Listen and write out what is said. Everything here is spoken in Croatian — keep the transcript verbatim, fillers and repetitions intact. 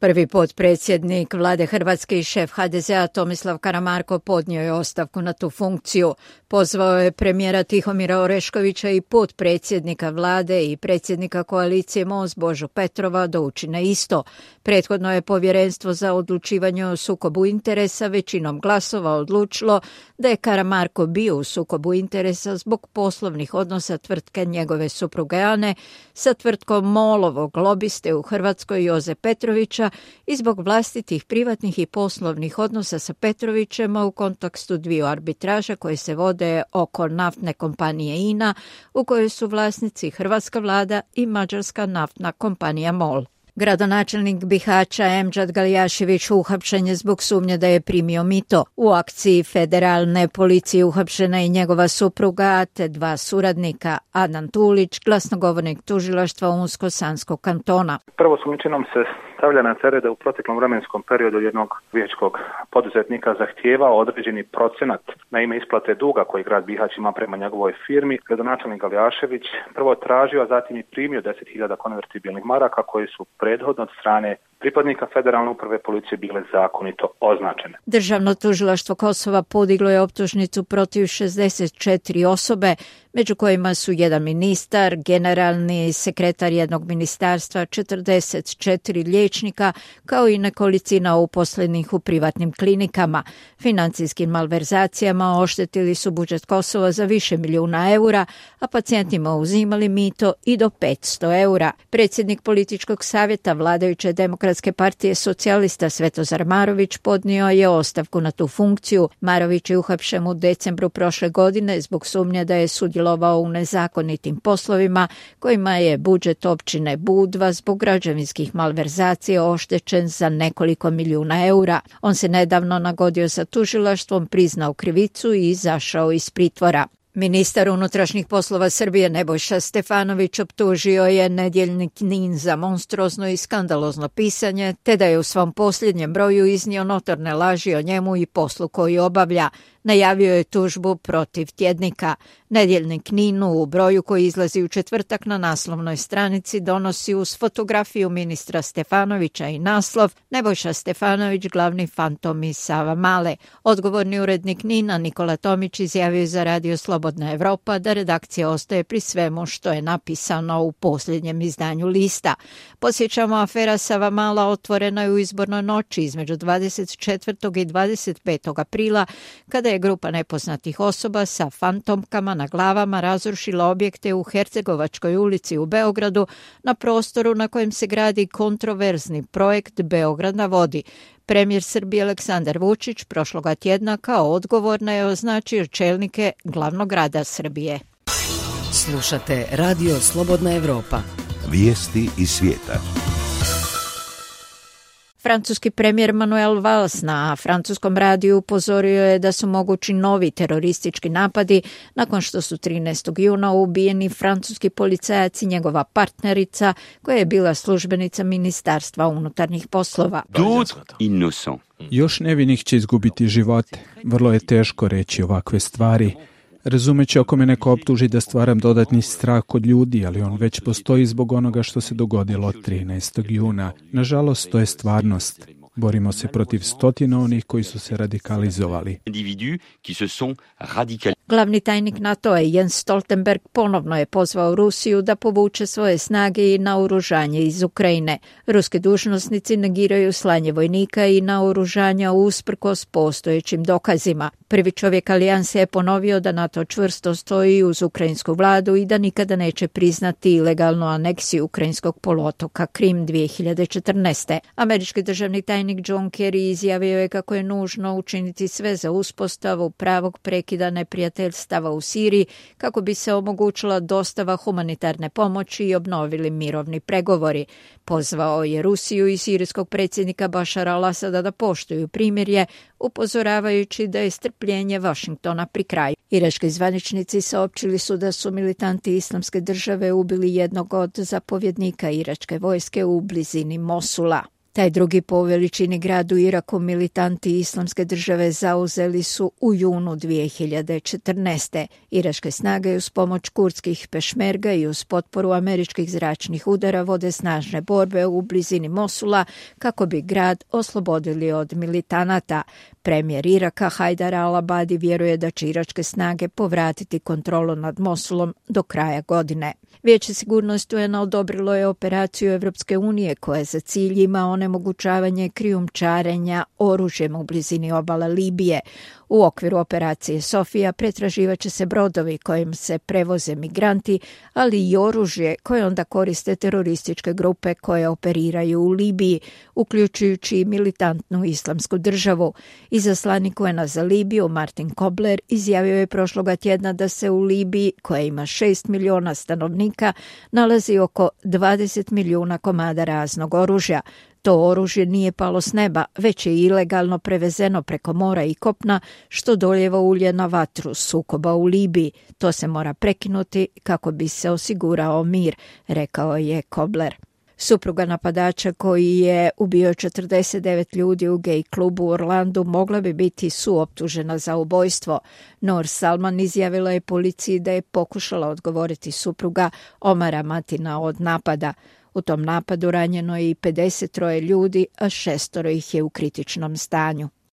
Prvi potpredsjednik vlade Hrvatske i šef ha de zea Tomislav Karamarko podnio je ostavku na tu funkciju. Pozvao je premijera Tihomira Oreškovića i potpredsjednika vlade i predsjednika koalicije Most Božu Petrova da učine isto. Prethodno je Povjerenstvo za odlučivanje o sukobu interesa većinom glasova odlučilo da je Karamarko bio u sukobu interesa zbog poslovnih odnosa tvrtke njegove supruge Ane sa tvrtkom MOL-ovog lobiste u Hrvatskoj Joze Petrovića i zbog vlastitih privatnih i poslovnih odnosa sa Petrovićem u kontekstu dviju arbitraža koje se vode oko naftne kompanije I N A u kojoj su vlasnici hrvatska vlada i mađarska naftna kompanija MOL. Gradonačelnik Bihaća Emdžad Galjašević uhapšen je zbog sumnje da je primio mito. U akciji federalne policije uhapšena i njegova supruga te dva suradnika, Adnan Tulić, glasnogovornik tužilaštva Unsko-Sanskog kantona. Prvo sumnjičinom se stavlja na teret da u proteklom vremenskom periodu jednog vijećkog poduzetnika zahtijevao određeni procenat na ime isplate duga koji grad Bihać ima prema njegovoj firmi. Gradonačelnik Galjašević prvo tražio, a zatim i primio deset hiljada konvertibilnih maraka koji su prethodno od strane pripadnika federalne uprave policije bile zakonito označene. Državno tužilaštvo Kosova podiglo je optužnicu protiv šezdeset četiri osobe, među kojima su jedan ministar, generalni sekretar jednog ministarstva, četrdeset četiri liječnika, kao i nekolicina uposlenih u privatnim klinikama. Financijskim malverzacijama oštetili su budžet Kosova za više milijuna eura, a pacijentima uzimali mito i do petsto eura. Predsjednik političkog savjeta vladajuće Demokratske partije socijalista Svetozar Marović podnio je ostavku na tu funkciju. Marović je uhapšen u decembru prošle godine zbog sumnje da je sudjelovao u nezakonitim poslovima kojima je budžet općine Budva zbog građevinskih malverzacija oštećen za nekoliko milijuna eura. On se nedavno nagodio sa tužilaštvom, priznao krivicu i izašao iz pritvora. Ministar unutrašnjih poslova Srbije Nebojša Stefanović optužio je nedjeljnik Nin za monstruozno i skandalozno pisanje, te da je u svom posljednjem broju iznio notorne laži o njemu i poslu koji obavlja. Najavio je tužbu protiv tjednika. Nedjeljnik Ninu u broju koji izlazi u četvrtak na naslovnoj stranici donosi uz fotografiju ministra Stefanovića i naslov Nebojša Stefanović, glavni fantom iz Savamale. Odgovorni urednik Nina Nikola Tomić izjavio je za Radio Slobodna Evropa da redakcija ostaje pri svemu što je napisano u posljednjem izdanju lista. Podsjećamo, afera Savamala otvorena je u izbornoj noći između dvadeset četvrtog i dvadeset petog aprila, kada je grupa nepoznatih osoba sa fantomkama na glavama razrušila objekte u Hercegovačkoj ulici u Beogradu na prostoru na kojem se gradi kontroverzni projekt Beograd na vodi. Premijer Srbije Aleksandar Vučić prošloga tjedna kao odgovorna je označio čelnike glavnog grada Srbije. Slušate Radio Slobodna Evropa. Vijesti iz svijeta. Francuski premijer Manuel Valls na francuskom radiju upozorio je da su mogući novi teroristički napadi nakon što su trinaestog juna ubijeni francuski policajac i njegova partnerica koja je bila službenica Ministarstva unutarnjih poslova. Još nevinih će izgubiti živote. Vrlo je teško reći ovakve stvari. Razumeći ako me neko optuži da stvaram dodatni strah kod ljudi, ali on već postoji zbog onoga što se dogodilo trinaestog juna. Nažalost, to je stvarnost. Borimo se protiv stotina onih koji su se radikalizovali. Glavni tajnik NATO-a Jens Stoltenberg ponovno je pozvao Rusiju da povuče svoje snage i naoružanje iz Ukrajine. Ruski dužnosnici negiraju slanje vojnika i naoružanja usprkos postojećim dokazima. Prvi čovjek alijanse je ponovio da NATO čvrsto stoji uz ukrajinsku vladu i da nikada neće priznati ilegalnu aneksiju ukrajinskog poluotoka Krim dvije hiljade četrnaeste. Američki državni tajnik John Kerry izjavio je kako je nužno učiniti sve za uspostavu pravog prekida neprijateljstava u Siriji kako bi se omogućila dostava humanitarne pomoći i obnovili mirovni pregovori. Pozvao je Rusiju i sirijskog predsjednika Bašara al-Asada da poštuju primirje, upozoravajući da je strpljenje Vašingtona pri kraju. Irački zvaničnici saopćili su da su militanti Islamske države ubili jednog od zapovjednika iračke vojske u blizini Mosula. Taj drugi po veličini grad u Iraku militanti Islamske države zauzeli su u junu dvije hiljade četrnaeste. Iračke snage uz pomoć kurdskih pešmerga i uz potporu američkih zračnih udara vode snažne borbe u blizini Mosula kako bi grad oslobodili od militanata. Premijer Iraka Hajdar al-Abadi vjeruje da će iračke snage povratiti kontrolu nad Mosulom do kraja godine. Vijeće sigurnosti U N-a odobrilo je operaciju Evropske unije koja za cilj ima onemogućavanje krijumčarenja oružjem u blizini obala Libije. U okviru operacije Sofija pretraživat će se brodovi kojim se prevoze migranti, ali i oružje koje onda koriste terorističke grupe koje operiraju u Libiji, uključujući i militantnu islamsku državu. Izaslanik U N-a za Libiju Martin Kobler izjavio je prošloga tjedna da se u Libiji, koja ima šest milijuna stanovnika, nalazi oko dvadeset milijuna komada raznog oružja. To oružje nije palo s neba, već je ilegalno prevezeno preko mora i kopna, što doljeva ulje na vatru sukoba u Libiji. To se mora prekinuti kako bi se osigurao mir, rekao je Kobler. Supruga napadača koji je ubio četrdeset devet ljudi u gej klubu u Orlandu mogla bi biti suoptužena za ubojstvo. Noor Salman izjavila je policiji da je pokušala odgovoriti supruga Omara Matina od napada. U tom napadu ranjeno je i pedeset troje ljudi, a šestoro ih je u kritičnom stanju.